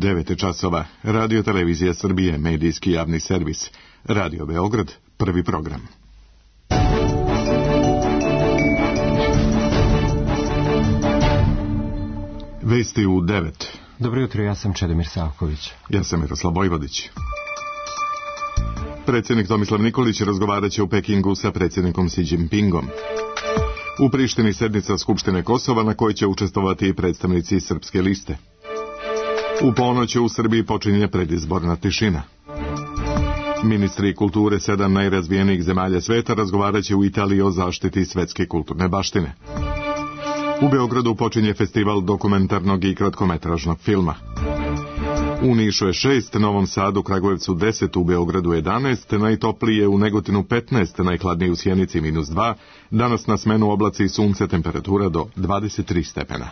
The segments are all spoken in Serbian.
9 časova. Radio Televizija Srbije, medijski javni servis. Radio Beograd, prvi program. Vesti u 9. Dobro jutro, ja sam Čedomir Savković. Ja sam Miroslav Vojvodić. Predsjednik Tomislav Nikolić razgovarat će u Pekingu sa predsjednikom Xi Jinpingom. U Prištini sednica Skupštine Kosova na kojoj će učestvovati i predstavnici Srpske liste. U ponoć u Srbiji počinje predizborna tišina. Ministri kulture 7 najrazvijenijih zemalja sveta razgovarat će u Italiji o zaštiti svetske kulturne baštine. U Beogradu počinje festival dokumentarnog i kratkometražnog filma. U Nišu je 6, Novom Sadu, Kragujevcu 10, u Beogradu 11, najtoplije u Negotinu 15, najhladnije u Sjenici -2, danas na smenu oblaci i sunce, temperatura do 23 stepena.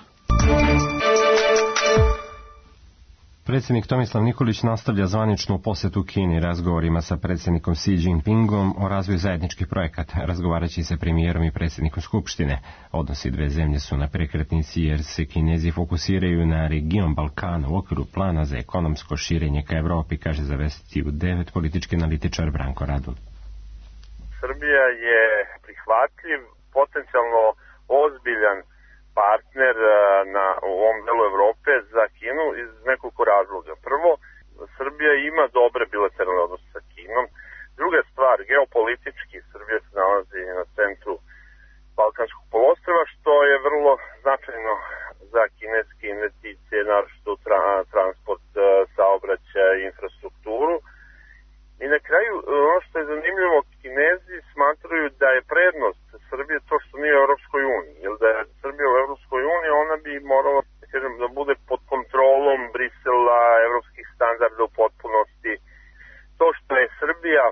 Predsjednik Tomislav Nikolić nastavlja zvaničnu posjetu Kini razgovorima sa predsjednikom Xi Jinpingom o razvoju zajedničkih projekata. Razgovarajući sa premijerom i predsjednikom Skupštine. Odnosi dve zemlje su na prekretnici jer se Kinezi fokusiraju na region Balkana u okviru plana za ekonomsko širenje ka Evropi, kaže za Vesti u 9 politički analitičar Branko Radun. Srbija je prihvatljiv, potencijalno ozbiljan partner u ovom delu Evrope za Kinu iz nekoliko razloga. Prvo, Srbija ima dobre bilateralne odnose sa Kinom. Druga stvar, geopolitički Srbija se nalazi na centru Balkanskog poluostrva, što je vrlo značajno za kineske investicije, naročito transport, saobraćaj, infrastrukturu. I na kraju, ono što je zanimljivo, Kinezi smatraju da je prednost Srbije to što nije u Europskoj uniji. Jer da je Srbija u Europskoj uniji, ona bi morala da bude pod kontrolom Brisela, evropskih standarda u potpunosti. To što je Srbija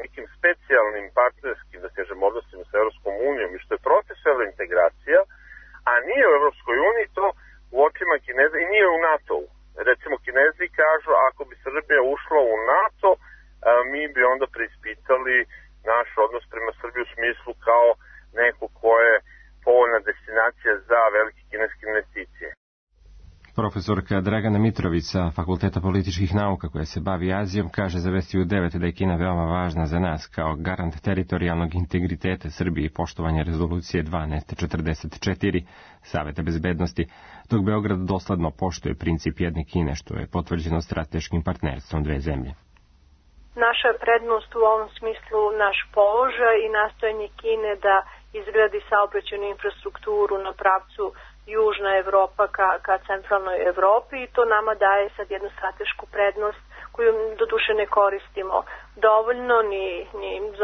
nekim specijalnim partnerskim, odnosima sa Europskom unijom i što je proces evrointegracija, a nije u Europskoj uniji, to u očima Kineza i nije u NATO-u. Recimo, Kinezi kažu, ako bi Srbija ušla u NATO, mi bi onda preispitali naš odnos prema Srbiji u smislu kao neko ko je povoljna destinacija za velike kineske investicije. Profesorka Dragana Mitrović sa Fakulteta političkih nauka koja se bavi Azijom kaže za Vesti u 9 da je Kina veoma važna za nas kao garant teritorijalnog integriteta Srbije i poštovanja rezolucije 1244 Saveta bezbednosti, dok Beograd dosledno poštuje princip jedne Kine, što je potvrđeno strateškim partnerstvom dve zemlje. Naša prednost u ovom smislu naš položaj i nastojanje Kine da izgradi saobraćajnu infrastrukturu na pravcu Južna Evropa ka centralnoj Evropi i to nama daje sad jednu stratešku prednost koju doduše ne koristimo dovoljno, ni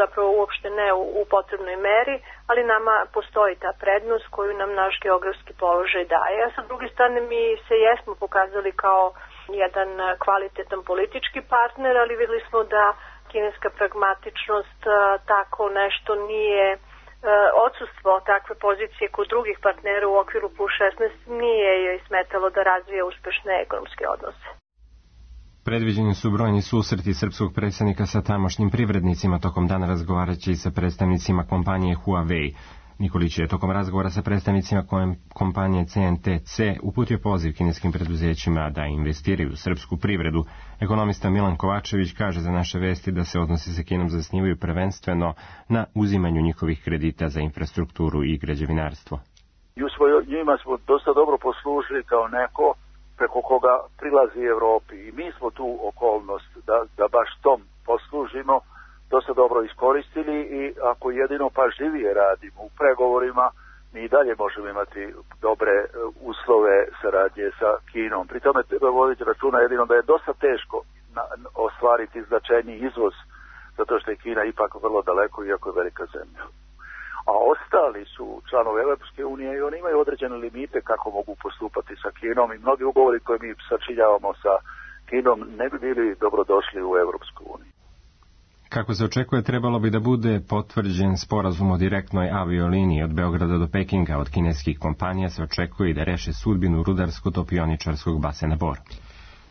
zapravo uopšte ne u potrebnoj meri, ali nama postoji ta prednost koju nam naš geografski položaj daje. A sa druge strane mi se jesmo pokazali kao jedan kvalitetan politički partner, ali vidjeli smo da kineska pragmatičnost tako nešto nije, odsustvo takve pozicije kod drugih partnera u okviru plus 16 nije joj smetalo da razvije uspešne ekonomske odnose. Predviđeni su brojni susreti srpskog predsjednika sa tamošnjim privrednicima tokom dana razgovarajući sa predstavnicima kompanije Huawei. Nikolić je tokom razgovora sa predstavnicima kompanije CNTC uputio poziv kineskim preduzećima da investiraju u srpsku privredu. Ekonomista Milan Kovačević kaže za naše Vesti da se odnosi sa Kinom zasnivaju prvenstveno na uzimanju njihovih kredita za infrastrukturu i građevinarstvo. Njima smo dosta dobro poslužili kao neko preko koga prilazi Evropi i mi smo tu okolnost da baš tom poslužimo dosta dobro iskoristili i ako jedino pažljivije radimo u pregovorima, mi i dalje možemo imati dobre uslove saradnje sa Kinom. Pri tome treba voditi računa jedino da je dosta teško ostvariti značajni izvoz, zato što je Kina ipak vrlo daleko, iako je velika zemlja. A ostali su članovi Europske unije i oni imaju određene limite kako mogu postupati sa Kinom i mnogi ugovori koje mi sačinjavamo sa Kinom ne bi bili dobrodošli u Europsku uniju. Kako se očekuje, trebalo bi da bude potvrđen sporazum o direktnoj avioliniji od Beograda do Pekinga. Od kineskih kompanija se očekuje da reše sudbinu rudarsko-topioničarskog basena Bor.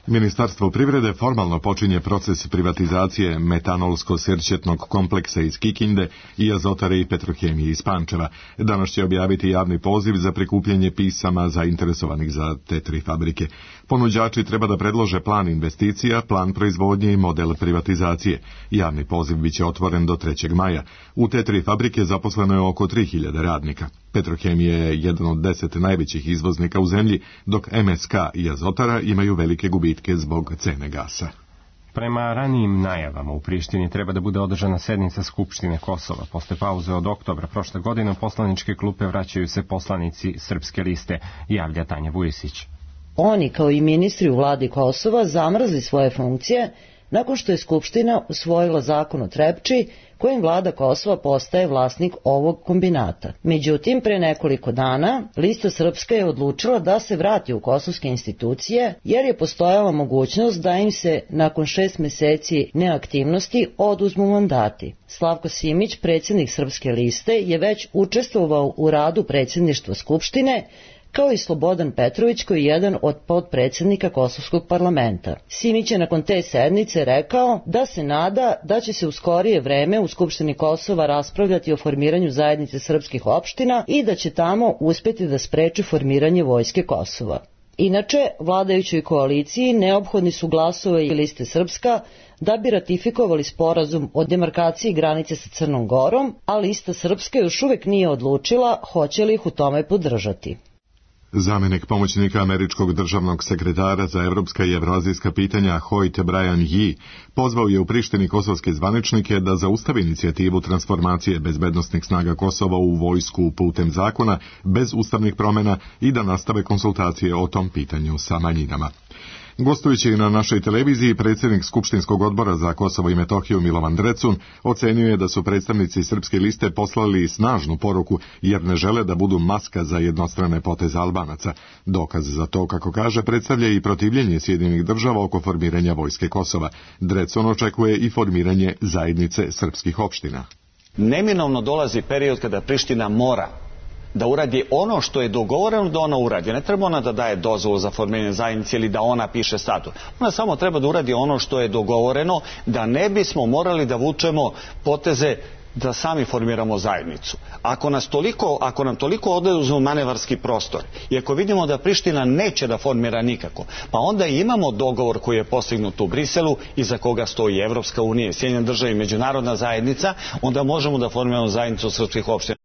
Ministarstvo privrede formalno počinje proces privatizacije metanolsko-sirćetnog kompleksa iz Kikinde i Azotare i Petrohemije iz Pančeva. Danas će objaviti javni poziv za prikupljanje pisama zainteresovanih za te 3 fabrike. Ponuđači treba da predlože plan investicija, plan proizvodnje i model privatizacije. Javni poziv biće otvoren do 3. maja. U te 3 fabrike zaposleno je oko 3000 radnika. Petrohemija je jedan od 10 najvećih izvoznika u zemlji, dok MSK i Azotara imaju velike gubitke zbog cene gasa. Prema ranijim najavama u Prištini treba da bude održana sednica Skupštine Kosova. Posle pauze od oktobra prošle godine u poslaničke klupe vraćaju se poslanici Srpske liste, javlja Tanja Vujisić. Oni, kao i ministri u vladi Kosova, zamrzli svoje funkcije nakon što je Skupština usvojila zakon o Trepči, kojim vlada Kosova postaje vlasnik ovog kombinata. Međutim, pre nekoliko dana, Lista Srpska je odlučila da se vrati u kosovske institucije, jer je postojala mogućnost da im se nakon 6 meseci neaktivnosti oduzmu mandati. Slavko Simić, predsjednik Srpske liste, je već učestvovao u radu predsjedništva Skupštine, kao i Slobodan Petrović, koji je jedan od potpredsjednika Kosovskog parlamenta. Simić je nakon te sednice rekao da se nada da će se u skorije vreme u Skupštini Kosova raspravljati o formiranju zajednice srpskih opština i da će tamo uspjeti da spreče formiranje vojske Kosova. Inače, vladajućoj koaliciji neophodni su glasovi i Liste Srpska da bi ratifikovali sporazum o demarkaciji granice sa Crnom Gorom, a Lista Srpska još uvek nije odlučila hoće li ih u tome podržati. Zamenik pomoćnika američkog državnog sekretara za evropska i evroazijska pitanja Hoyt Brian Yee pozvao je u Prištini kosovske zvaničnike da zaustave inicijativu transformacije bezbednosnih snaga Kosova u vojsku putem zakona bez ustavnih promjena i da nastave konsultacije o tom pitanju sa manjinama. Gostujući na našoj televiziji, predsjednik Skupštinskog odbora za Kosovo i Metohiju Milovan Drecun ocenio je da su predstavnici Srpske liste poslali snažnu poruku jer ne žele da budu maska za jednostrane poteze Albanaca. Dokaz za to, kako kaže, predstavlja i protivljenje Sjedinjenih država oko formiranja vojske Kosova. Drecun očekuje i formiranje zajednice srpskih opština. Neminovno dolazi period kada Priština mora da uradi ono što je dogovoreno da ona uradi. Ne treba ona da daje dozvolu za formiranje zajednice ili da ona piše statut. Ona samo treba da uradi ono što je dogovoreno, da ne bismo morali da vučemo poteze da sami formiramo zajednicu. Ako nam toliko oduzmu manevarski prostor i ako vidimo da Priština neće da formira nikako, pa onda imamo dogovor koji je postignut u Briselu i za koga stoji Evropska unija, Sjedinjene države i međunarodna zajednica, onda možemo da formiramo zajednicu srpskih opština.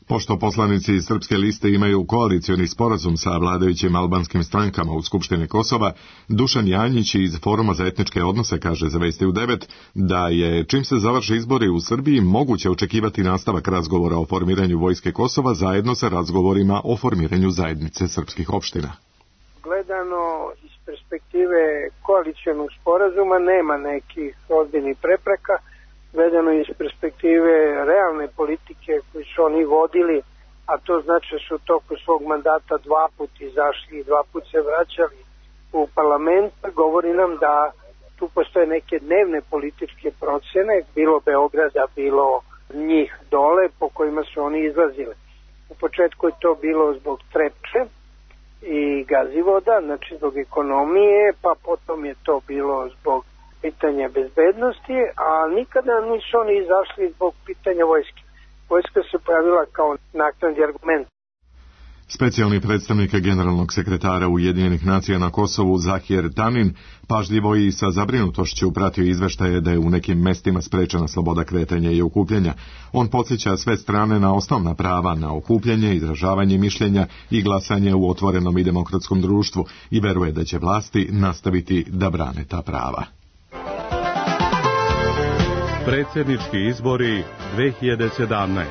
Pošto poslanici iz Srpske liste imaju koalicioni sporazum sa vladajućim albanskim strankama u Skupštini Kosova, Dušan Janjić iz Foruma za etničke odnose kaže za Vesti u 9 da je, čim se završe izbori u Srbiji, moguće očekivati nastavak razgovora o formiranju vojske Kosova zajedno sa razgovorima o formiranju zajednice srpskih opština. Gledano iz perspektive koalicionog sporazuma nema nekih ozbiljnih prepreka. Gledano iz perspektive realne politike koju su oni vodili, a to znači da su toko svog mandata 2 puta izašli i 2 puta se vraćali u parlament, govori nam da tu postoje neke dnevne političke procene, bilo Beograda, bilo njih dole, po kojima su oni izlazili. U početku je to bilo zbog Trepče i Gazivoda, znači zbog ekonomije, pa potom je to bilo zbog pitanja bezbednosti, a nikada nisu oni izašli zbog pitanja vojske. Vojska se pojavila kao naknadni argument. Specijalni predstavnik generalnog sekretara Ujedinjenih nacija na Kosovu Zahir Tanin pažljivo i sa zabrinutošću pratio izveštaje da je u nekim mestima sprečena sloboda kretanja i okupljanja. On podsjeća sve strane na osnovna prava na okupljanje, izražavanje mišljenja i glasanje u otvorenom i demokratskom društvu i veruje da će vlasti nastaviti da brane ta prava. Predsjednički izbori 2017.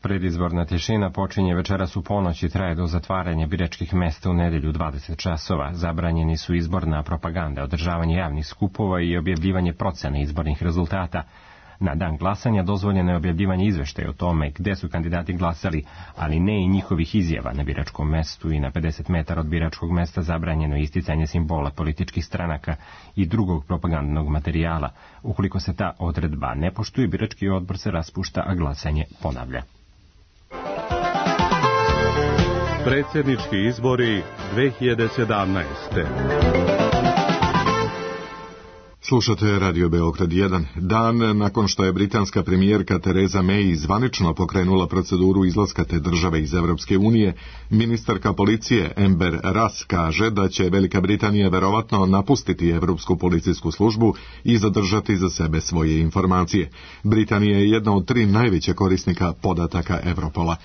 Predizborna tišina počinje večeras u ponoć i traje do zatvaranja biračkih mesta u nedelju 20 časova. Zabranjeni su izborna propaganda, održavanje javnih skupova i objavljivanje procene izbornih rezultata. Na dan glasanja dozvoljeno je objavljivanje izveštaja o tome gde su kandidati glasali, ali ne i njihovih izjava. Na biračkom mestu i na 50 metara od biračkog mesta zabranjeno je isticanje simbola političkih stranaka i drugog propagandnog materijala. Ukoliko se ta odredba ne poštuje, birački odbor se raspušta, a glasanje ponavlja. Predsjednički izbori 2017. Slušate Radio Beograd 1. Dan nakon što je britanska premijerka Theresa May zvanično pokrenula proceduru izlaska te države iz Evropske unije, ministarka policije Amber Russ kaže da će Velika Britanija verovatno napustiti Evropsku policijsku službu i zadržati za sebe svoje informacije. Britanija je jedna od 3 najveće korisnika podataka Europola.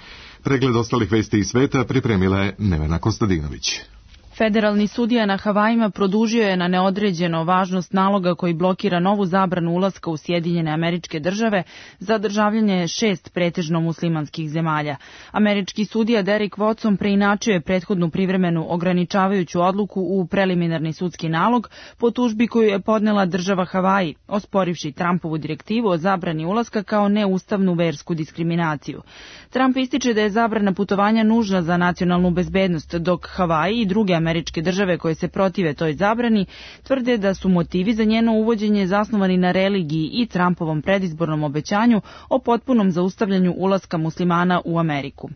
Pregled ostalih vesti iz sveta pripremila je Nevena Kostadinović. Federalni sudija na Havajima produžio je na neodređeno važnost naloga koji blokira novu zabranu ulaska u Sjedinjene Američke Države za državljanje 6 pretežno muslimanskih zemalja. Američki sudija Derek Watson preinačio je prethodnu privremenu ograničavajuću odluku u preliminarni sudski nalog po tužbi koju je podnela država Havaji, osporivši Trumpovu direktivu o zabrani ulaska kao neustavnu versku diskriminaciju. Trump ističe da je zabrana putovanja nužna za nacionalnu bezbednost, dok Havaji i druge američke države koje se protive toj zabrani tvrde da su motivi za njeno uvođenje zasnovani na religiji i Trumpovom predizbornom obećanju o potpunom zaustavljanju ulaska muslimana u Ameriku.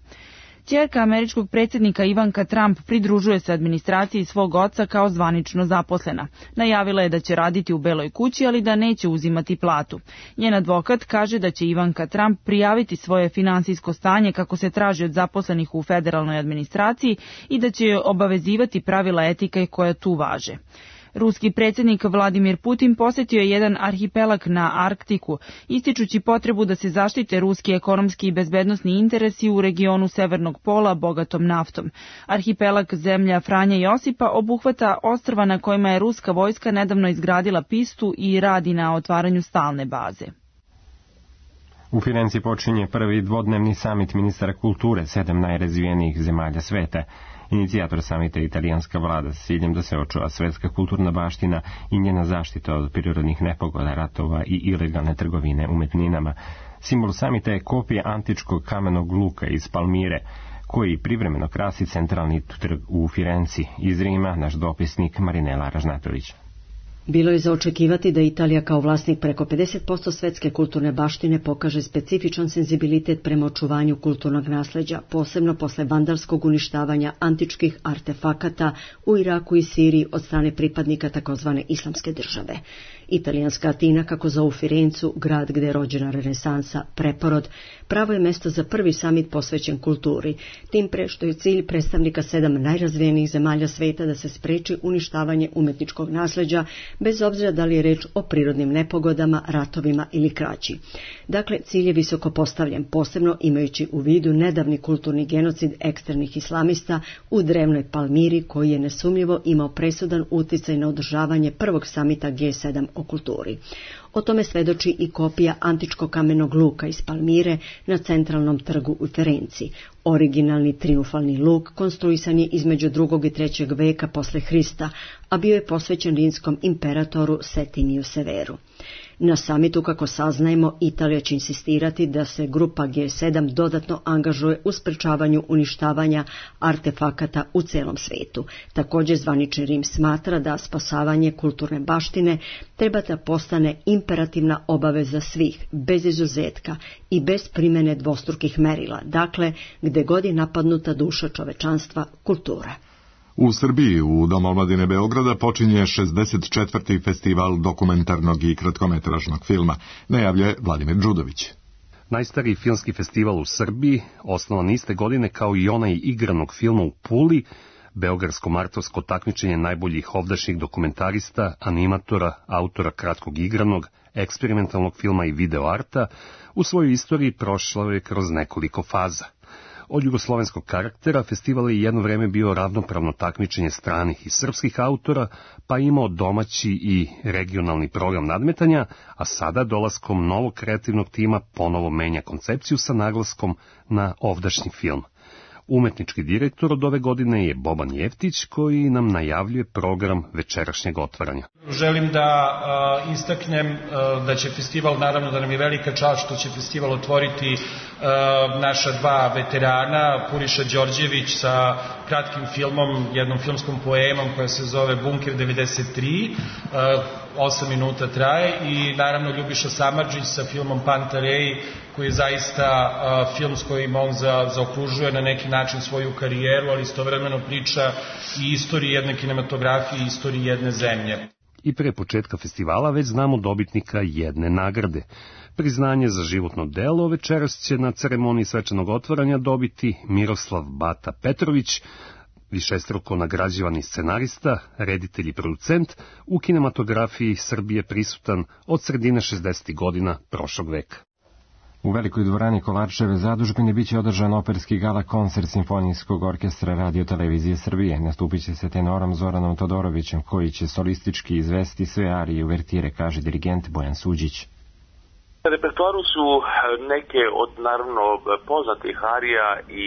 Ćerka američkog predsjednika Ivanka Trump pridružuje se administraciji svog oca kao zvanično zaposlena. Najavila je da će raditi u Beloj kući, ali da neće uzimati platu. Njen advokat kaže da će Ivanka Trump prijaviti svoje finansijsko stanje kako se traži od zaposlenih u federalnoj administraciji i da će joj obavezivati pravila etike koja tu važe. Ruski predsjednik Vladimir Putin posjetio je jedan arhipelag na Arktiku, ističući potrebu da se zaštite ruski ekonomski i bezbednosni interesi u regionu Severnog pola bogatom naftom. Arhipelag zemlja Franje Josipa obuhvata ostrva na kojima je ruska vojska nedavno izgradila pistu i radi na otvaranju stalne baze. U Firenci počinje prvi dvodnevni samit ministara kulture 7 najrazvijenijih zemalja sveta. Inicijator samita je italijanska vlada s ciljem da se očuva svetska kulturna baština i njena zaštita od prirodnih nepogoda, ratova i ilegalne trgovine umetninama. Simbol samita je kopija antičkog kamenog luka iz Palmire, koji privremeno krasi centralni trg u Firenci. Iz Rima naš dopisnik Marinela Ražnatović. Bilo je za očekivati da Italija kao vlasnik preko 50% svetske kulturne baštine pokaže specifičan senzibilitet prema očuvanju kulturnog nasleđa, posebno posle vandalskog uništavanja antičkih artefakata u Iraku i Siriji od strane pripadnika takozvane islamske države. Italijanska Atina, kako zovu Firencu, grad gde je rođena renesansa, preporod, pravo je mesto za prvi samit posvećen kulturi, tim pre što je cilj predstavnika 7 najrazvijenijih zemalja sveta da se spreči uništavanje umetničkog nasleđa, bez obzira da li je reč o prirodnim nepogodama, ratovima ili krađi. Dakle, cilj je visoko postavljen, posebno imajući u vidu nedavni kulturni genocid ekstremnih islamista u drevnoj Palmiri, koji je nesumnjivo imao presudan uticaj na održavanje prvog samita G7 o kulturi. O tome svedoči i kopija antičkog kamenog luka iz Palmire na centralnom trgu u Firenci. Originalni triumfalni luk konstruisan je između 2. i 3. veka posle Hrista, a bio je posvećen rimskom imperatoru Septimiju Severu. Na samitu, kako saznajemo, Italija će insistirati da se grupa G7 dodatno angažuje u sprečavanju uništavanja artefakata u celom svetu. Također zvanični Rim smatra da spasavanje kulturne baštine treba da postane imperativna obaveza svih, bez izuzetka i bez primjene dvostrukih merila, dakle, gde god je napadnuta duša čovečanstva, kultura. U Srbiji, u Domu omladine Beograda, počinje 64. festival dokumentarnog i kratkometražnog filma, najavljuje Vladimir Đudović. Najstariji filmski festival u Srbiji, osnovan iste godine kao i onaj igranog filma u Puli, beogradsko-martovsko takmičenje najboljih ovdašnjih dokumentarista, animatora, autora kratkog igranog, eksperimentalnog filma i videoarta, u svojoj istoriji prošlo je kroz nekoliko faza. Od jugoslovenskog karaktera festival je jedno vreme bio ravnopravno takmičenje stranih i srpskih autora, pa imao domaći i regionalni program nadmetanja, a sada dolaskom novog kreativnog tima ponovo menja koncepciju sa naglaskom na ovdašnji film. Umetnički direktor od ove godine je Boban Jeftić, koji nam najavljuje program večerašnjeg otvaranja. Želim da istaknem da će festival, naravno da nam je velika čast što će festival otvoriti naša 2 veterana, Puriša Đorđević sa kratkim filmom, jednom filmskom poemom koja se zove Bunker 93, 8 minuta traje, i naravno Ljubiša Samardžić sa filmom Pantarej, koji je zaista film s kojim on zaokružuje na neki način svoju karijeru, ali istovremeno priča i istoriji jedne kinematografije i istoriji jedne zemlje. I pre početka festivala već znamo dobitnika jedne nagrade. Priznanje za životno delo večeras će na ceremoniji svečanog otvaranja dobiti Miroslav Bata Petrović, višestruko nagrađivani scenarista, reditelj i producent, u kinematografiji Srbije prisutan od sredine 60. godina prošlog veka. U velikoj dvorani Kolarčeve zadužbine biće održan operski gala koncert Simfonijskog orkestra Radio-televizije Srbije. Nastupit će se tenorom Zoranom Todorovićem, koji će solistički izvesti sve arije i uvertire, kaže dirigent Bojan Suđić. Na repertoaru su neke od naravno poznatih arija i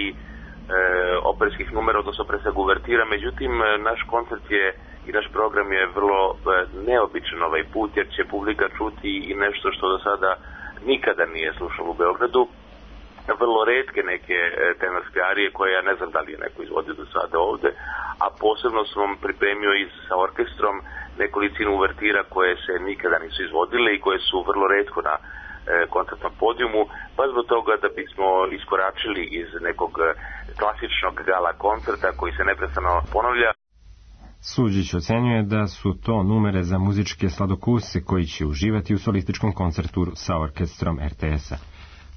operskih numera, odnosno pre svega uvertira, međutim naš koncert je i naš program je vrlo neobičan ovaj put, jer će publika čuti i nešto što do sada nikada nije slušalo u Beogradu, vrlo retke neke tenorske arije koje ja ne znam da li je neko izvodio do sada ovde, a posebno sam pripremio i sa orkestrom nekolicinu uvertira koje se nikada nisu izvodile i koje su vrlo retko na koncertnom podijumu, pa zbog toga da bismo iskoračili iz nekog klasičnog gala koncerta koji se neprestano ponavlja. Suđić ocenjuje da su to numere za muzičke sladokuse koji će uživati u solističkom koncertu sa orkestrom RTS-a.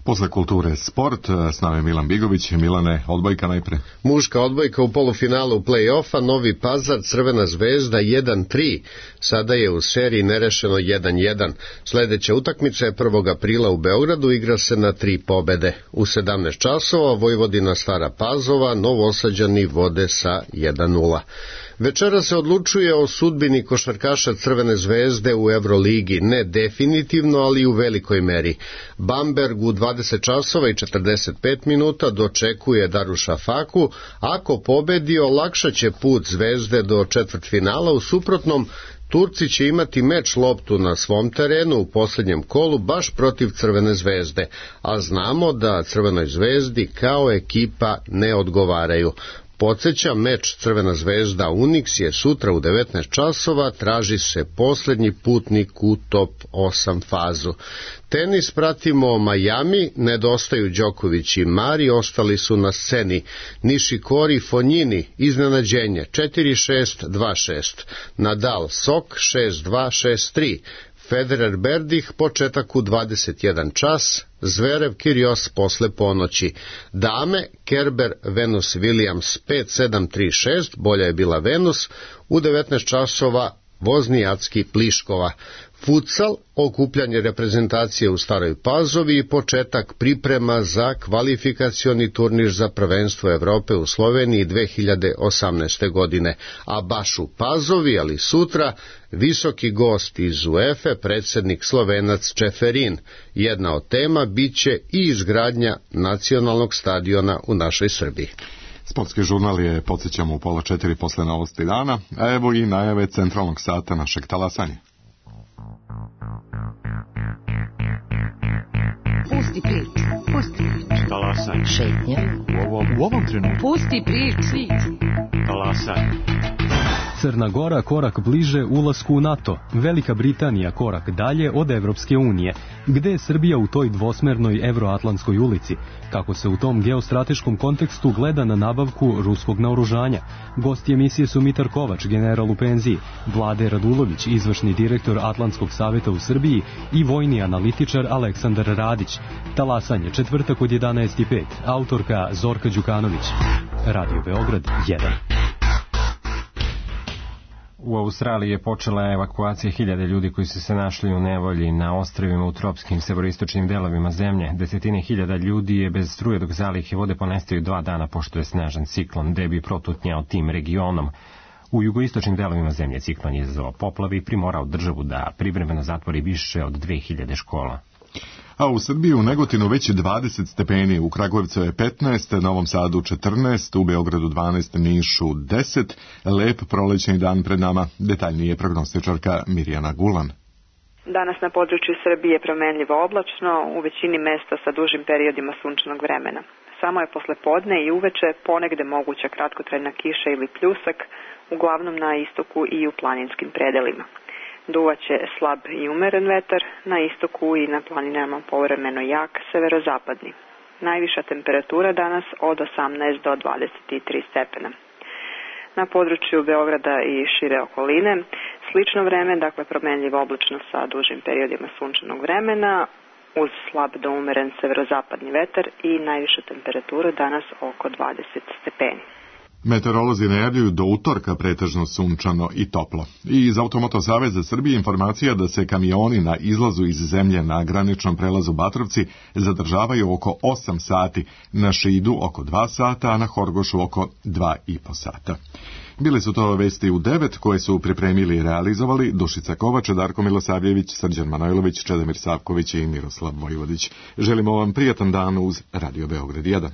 Posle kulture sport, s nama je Milan Bigović. Milane, odbojka najpre. Muška odbojka u polufinalu play-offa, Novi Pazar, Crvena zvezda 1-3. Sada je u seriji nerešeno 1-1. Sledeća utakmica je 1. aprila u Beogradu, igra se na 3 pobede. U 17 časova Vojvodina Stara Pazova, Novosađani vode sa 1-0. Večera se odlučuje o sudbini košarkaša Crvene zvezde u Evroligi, ne definitivno, ali u velikoj meri. Bamberg u 20 časova i 45 minuta dočekuje Daruša Faku, ako pobedi olakšaće put Zvezde do četvrtfinala, u suprotnom Turci će imati meč loptu na svom terenu u poslednjem kolu baš protiv Crvene zvezde, a znamo da Crvenoj zvezdi kao ekipa ne odgovaraju. Podseća, meč Crvena zvezda Unix je sutra u 19 časova, traži se poslednji putnik u top 8 fazu. Tenis pratimo Miami, nedostaju Đoković i Mari, ostali su na sceni. Nishikori Fonjini, iznenađenje 4-6, 2-6. Nadal Sok 6-2, 6-3. Federer Berdih, početak u 21 čas, Zverev Kyrgios posle ponoći. Dame, Kerber Venus Williams 5-7-3-6, bolja je bila Venus, u 19 časova Voznijacki Pliškova. Futsal, okupljanje reprezentacije u Staroj Pazovi i početak priprema za kvalifikacioni turnir za prvenstvo Evrope u Sloveniji 2018. godine. A baš u Pazovi, ali sutra, visoki gost iz UEFA, predsjednik Slovenac Čeferin. Jedna od tema biće i izgradnja nacionalnog stadiona u našoj Srbiji. Sportski žurnal je, podsjećamo, u 3:30 posle novosti dana, a evo i najave centralnog sata našeg talasanja. Pusti priču, pusti priču. Talasanje. Šetnja. U ovom trenutku. Pusti priču. Talasanje. Crna Gora korak bliže ulasku u NATO, Velika Britanija korak dalje od Evropske unije. Gde je Srbija u toj dvosmernoj evroatlantskoj ulici? Kako se u tom geostrateškom kontekstu gleda na nabavku ruskog naoružanja? Gosti emisije su Mitar Kovač, general u penziji, Vlade Radulović, izvršni direktor Atlantskog saveta u Srbiji i vojni analitičar Aleksandar Radić. Talasanje, četvrtak od 11:05, autorka Zorka Đukanović. Radio Beograd 1. U Australiji je počela evakuacija 1000 ljudi koji su se našli u nevolji na ostrvima u tropskim severistočnim delovima zemlje. Desetine hiljada ljudi je bez struje dok zalihe vode ponestaju 2 dana pošto je snažan ciklon Debi protutnjao tim regionom. U jugoistočnim delovima zemlje ciklon je izazvao poplave i primorao državu da privremeno zatvori više od 2000 škola. A u Srbiji u Negotinu već je 20 stepeni, u Kragujevcu je 15, Novom Sadu 14, u Beogradu 12, Nišu 10. Lep prolećni dan pred nama, detaljnije prognostičarka Mirjana Gulan. Danas na području Srbije promenljivo oblačno, u većini mesta sa dužim periodima sunčanog vremena. Samo je posle podne i uveče ponegde moguća kratkotrajna kiša ili pljusak, uglavnom na istoku i u planinskim predelima. Duvaće slab i umeren vetar, na istoku i na planinama povremeno jak severozapadni. Najviša temperatura danas od 18 do 23 stepena. Na području Beograda i šire okoline slično vreme, dakle promenljivo oblačno sa dužim periodima sunčanog vremena, uz slab do umeren severozapadni vetar i najviša temperatura danas oko 20 stepeni. Meteorolozi najavljuju do utorka pretežno sunčano i toplo. I iz Automoto Saveza Srbije informacija da se kamioni na izlazu iz zemlje na graničnom prelazu Batrovci zadržavaju oko 8 sati, na Šidu oko 2 sata, a na Horgošu oko 2,5 sata. Bili su to vesti u 9 koje su pripremili i realizovali Dušica Kovač, Darko Milosavljević, Srđan Manojlović, Čedomir Savković i Miroslav Vojvodić. Želimo vam prijatan dan uz Radio Beograd 1.